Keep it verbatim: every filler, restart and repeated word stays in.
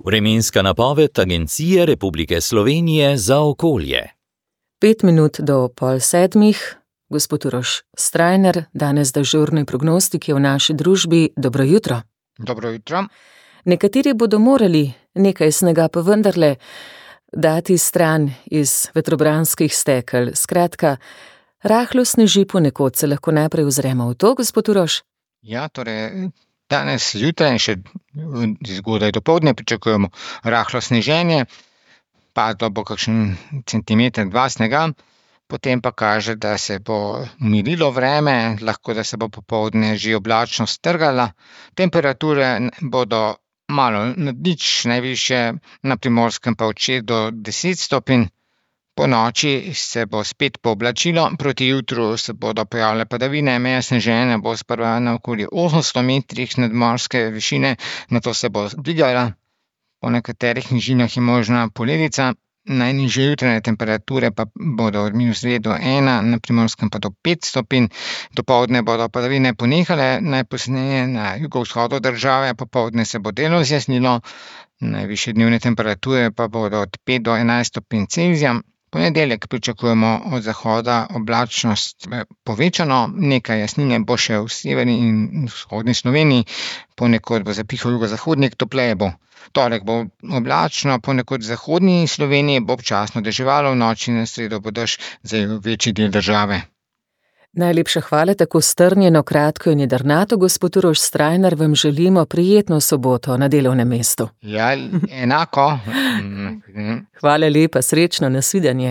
Vremenska napoved Agencije Republike Slovenije za okolje. Pet minut do pol sedmih, gospod Uroš Strajnar, danes dežurni prognostik je v naši družbi. Dobro jutro. Dobro jutro. Nekateri bodo morali nekaj snega pa vendarle dati stran iz vetrobranskih stekel. Skratka, rahlo sneži ponekod, se lahko najprej ozremo v to, gospod Uroš? Ja, torej danes zjutraj in še zgodaj dopoldne pričakujemo rahlo sneženje, padlo bo kakšen centimeter, dva snega, potem pa kaže, da se bo umirilo vreme, lahko da se bo popoldne že oblačnost strgala, temperature bodo malo nad nič, najvišje na Primorskem pa od šest do deset stopinj. Po noči se bo spet pooblačilo, proti jutru se bodo pojavile padavine, meja sneženja bo sprva na okoli osemsto metrih nadmorske višine, nato se bo dvigala. Po nekaterih nižinah je možna poledica, najnižje jutranje temperature pa bodo od minus dve do ena, na Primorskem pa do pet stopinj. Dopoldne bodo padavine ponehale, najpozneje na jugovzhodu države, popoldne se bo delno zjasnilo, najvišje dnevne temperature pa bodo od pet do enajst stopinj Celzija. Ponedeljek pričakujemo od zahoda oblačnost povečano, nekaj jasnine bo še v severni in vzhodni Sloveniji, ponekod bo zapihal jugozahodnik, topleje bo. Torek bo oblačno, ponekod v zahodni Sloveniji bo občasno deževalo, v noči na sredo bo dež zajel večji del države. Najlepša hvala, tako strnjeno, kratko in jedrnato, gospod Uroš Strajnar, vam želimo prijetno soboto na delovnem mestu. Ja, enako. Hvala lepa, srečno, nasvidenje.